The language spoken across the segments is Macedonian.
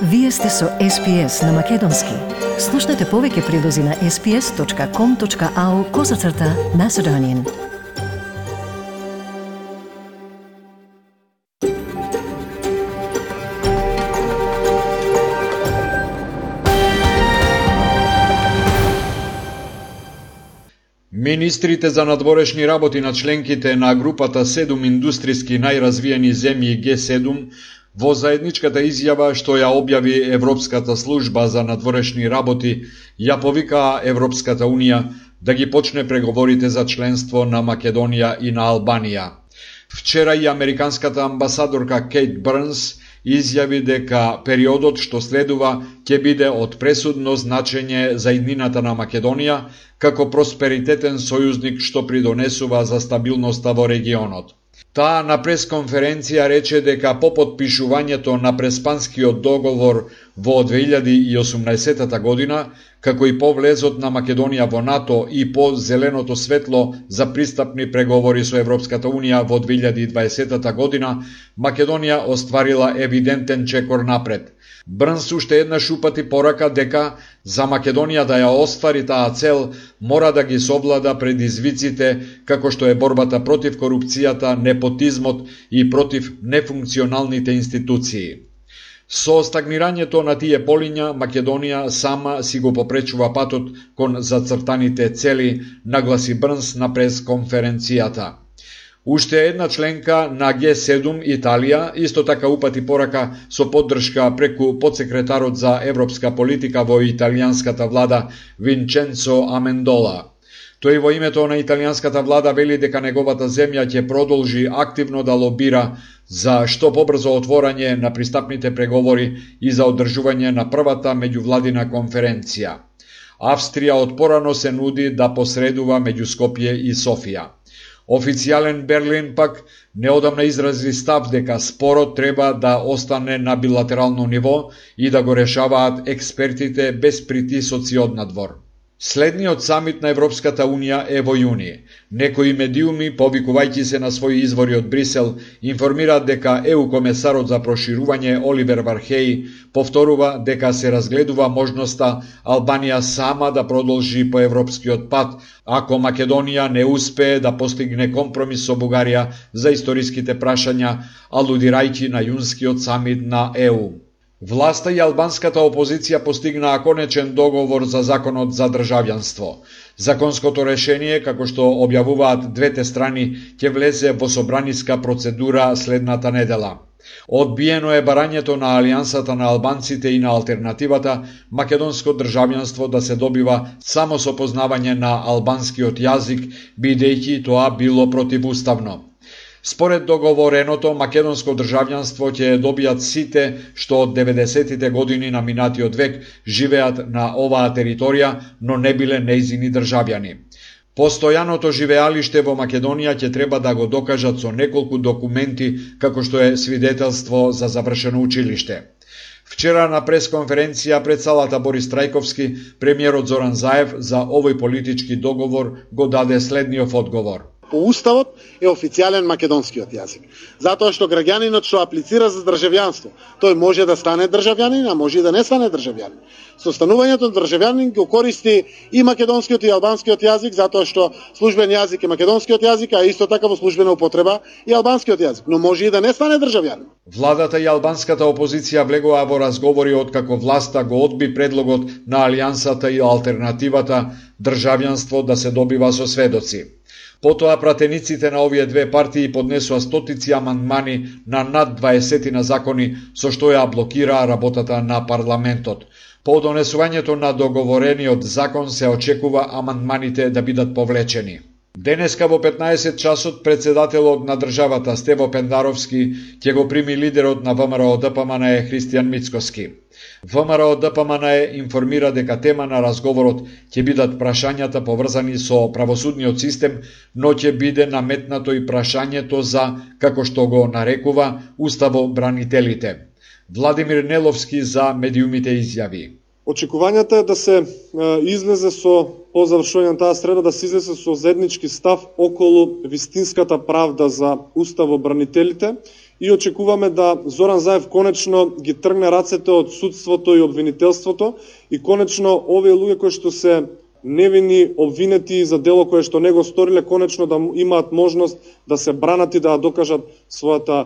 Вие сте со SPS на Македонски. Слушнете повеќе прилози на sps.com.au/Macedonian. Министрите за надворешни работи на членките на групата 7 индустријски најразвиени земји Г7 во заедничката изјава што ја објави Европската служба за надворешни работи ја повикаа Европската Унија да ги почне преговорите за членство на Македонија и на Албанија. Вчера и американската амбасадорка Кейт Брнс изјави дека периодот што следува ќе биде од пресудно значење за иднината на Македонија како просперитетен сојузник што придонесува за стабилноста во регионот. Таа на пресконференција рече дека по потпишувањето на преспанскиот договор во 2018 година, како и по влезот на Македонија во НАТО и по зеленото светло за пристапни преговори со Европската Унија во 2020 година, Македонија остварила евидентен чекор напред. Брнс уште еднаш упати порака дека за Македонија да ја оствари таа цел мора да ги совлада предизвиците како што е борбата против корупцијата, непотизмот и против нефункционалните институции. Со стагнирањето на тие полиња, Македонија сама си го попречува патот кон зацртаните цели, нагласи Брнс на пресконференцијата. Уште една членка на Г7, Италија, исто така упати порака со поддршка преку подсекретарот за европска политика во италијанската влада Винченцо Амендола. Тој во името на италијанската влада вели дека неговата земја ќе продолжи активно да лобира за што побрзо отворање на пристапните преговори и за одржување на првата меѓувладина конференција. Австрија од порано се нуди да посредува меѓу Скопје и Софија. Официјален Берлин пак неодамна изрази став дека спорот треба да остане на билатерално ниво и да го решаваат експертите без притисоци од надвор. Следниот самит на Европската Унија е во јуни. Некои медиуми, повикувајќи се на своји извори од Брисел, информираат дека ЕУ комесарот за проширување Оливер Вархеј повторува дека се разгледува можноста Албанија сама да продолжи по европскиот пат, ако Македонија не успее да постигне компромис со Бугарија за историските прашања, алудирајќи на јунскиот самит на ЕУ. Власта и албанската опозиција постигнаа конечен договор за законот за државјанство. Законското решение, како што објавуваат двете страни, ќе влезе во собраниска процедура следната недела. Одбиено е барањето на Алијансата на албанците и на алтернативата македонско државјанство да се добива само со познавање на албанскиот јазик, бидејќи тоа било противуставно. Според договореното, македонско државјанство ќе добијат сите што од 90-тите години на минатиот век живеат на оваа територија, но не биле нејзини државјани. Постојаното живеалиште во Македонија ќе треба да го докажат со неколку документи, како што е свидетелство за завршено училиште. Вчера на пресконференција пред салата Борис Трајковски, премиерот Зоран Заев за овој политички договор го даде следниот одговор. По уставот е официјален македонскиот јазик. Затоа што граѓанинот што аплицира за државјанство, тој може да стане државјанин, а може и да не стане државјанин. Со станувањето на државјанин го користи и македонскиот и албанскиот јазик, затоа што службен јазик е македонскиот јазик, а исто така во службена употреба и албанскиот јазик, но може и да не стане државјанин. Владата и албанската опозиција влегоа во разговори откако власта го одби предлогот на Алијансата и алтернативата државјанство да се добива со сведоци. Потоа пратениците на овие две партии поднесоа стотици амандмани на над 20 на закони со што ја блокираа работата на парламентот. По донесувањето на договорениот закон се очекува амандманите да бидат повлечени. Денеска во 15 часот председателот на државата Стево Пендаровски ќе го прими лидерот на ВМРО ДПМН Христијан Мицкоски. ВМРО ДПМН информира дека тема на разговорот ќе бидат прашањата поврзани со правосудниот систем, но ќе биде наметнато и прашањето за, како што го нарекува, уставобранителите. Владимир Неловски за медиумите изјави. Очекувањето е да се излезе по завршување на таа среда, да се излезе со заеднички став околу вистинската правда за уставобранителите и очекуваме да Зоран Заев конечно ги тргне рацете од судството и обвинителството и конечно овие луѓе кои што се невини обвинети за дело кое што не го сториле, конечно да имаат можност да се бранат и да докажат својата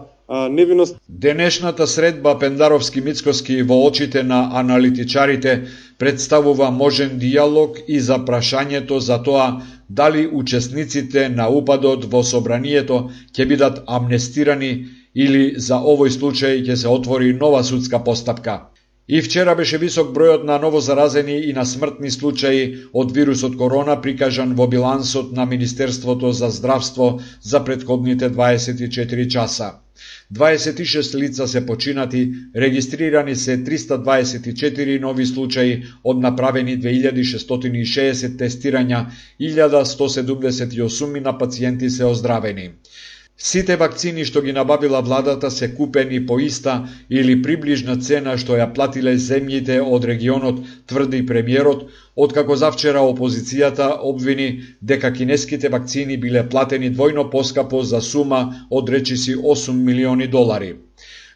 невиност. Денешната средба Пендаровски-Мицкоски во очите на аналитичарите представува можен диалог и за прашањето за тоа дали учесниците на упадот во собранието ќе бидат амнестирани или за овој случај ќе се отвори нова судска постапка. И вчера беше висок бројот на новозаразени и на смртни случаи од вирусот корона прикажан во билансот на Министерството за здравство за претходните 24 часа. 26 лица се починати, регистрирани се 324 нови случаи од направени 2660 тестирања, 1178 на пациенти се оздравени. Сите вакцини што ги набавила владата се купени по иста или приближна цена што ја платиле земјите од регионот, тврди премиерот, откако завчера опозицијата обвини дека кинеските вакцини биле платени двојно поскапо за сума од речиси 8 милиони долари.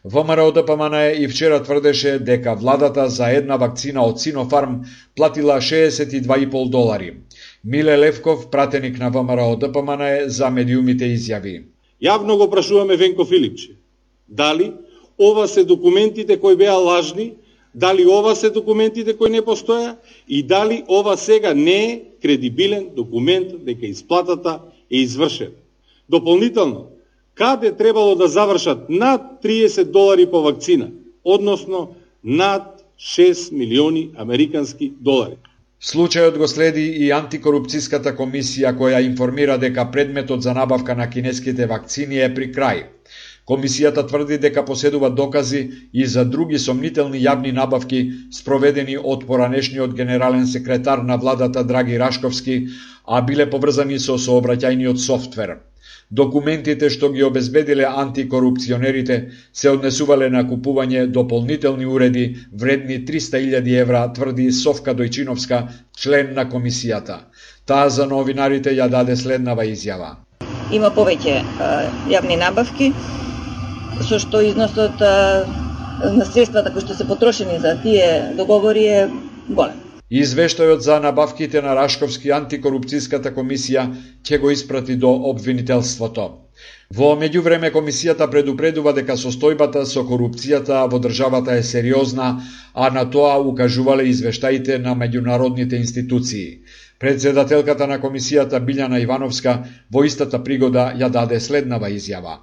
ВМРО ДПМН и вчера тврдеше дека владата за една вакцина од Синофарм платила 62,5 долари. Миле Левков, пратеник на ВМРО ДПМН, за медиумите изјави: Јавно го прашуваме Венко Филипче, дали ова се документите кои беа лажни, дали ова се документите кои не постоја и дали ова сега не е кредибилен документ дека исплатата е извршена. Дополнително, каде требало да завршат над 30 долари по вакцина, односно над 6 милиони американски долари. Случајот го следи и антикорупцијската комисија која информира дека предметот за набавка на кинеските вакцини е при крај. Комисијата тврди дека поседува докази и за други сомнителни јавни набавки спроведени од поранешниот генерален секретар на владата Драги Рашковски, а биле поврзани со сообраќајниот софтвер. Документите што ги обезбедиле антикорупционерите се однесувале на купување дополнителни уреди вредни 300.000 евра, тврди Совка Дојчиновска, член на комисијата. Таа за новинарите ја даде следнава изјава: Има повеќе јавни набавки, со што износот на средствата кои што се потрошени за тие договори е голем. Извештајот за набавките на Рашковски антикорупцијската комисија ќе го испрати до обвинителството. Во меѓувреме комисијата предупредува дека состојбата со корупцијата во државата е сериозна, а на тоа укажувале извештаите на меѓународните институции. Председателката на комисијата Билјана Ивановска во истата пригода ја даде следнава изјава: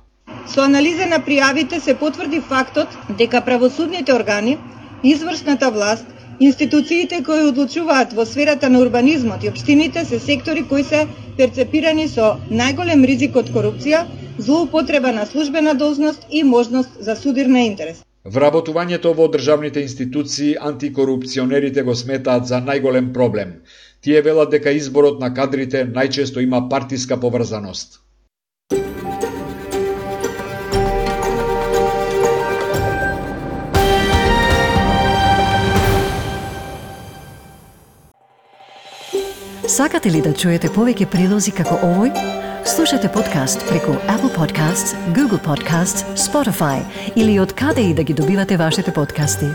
Со анализа на пријавите се потврди фактот дека правосудните органи, извршната власт, институциите кои одлучуваат во сферата на урбанизмот и општините се сектори кои се перцепирани со најголем ризик од корупција, злоупотреба на службена должност и можност за судир на интерес. Вработувањето во државните институции антикорупционерите го сметаат за најголем проблем. Тие велат дека изборот на кадрите најчесто има партиска поврзаност. Сакате ли да чуете повеќе прилози како овој? Слушате подкаст преку Apple Podcasts, Google Podcasts, Spotify или од каде и да ги добивате вашите подкасти.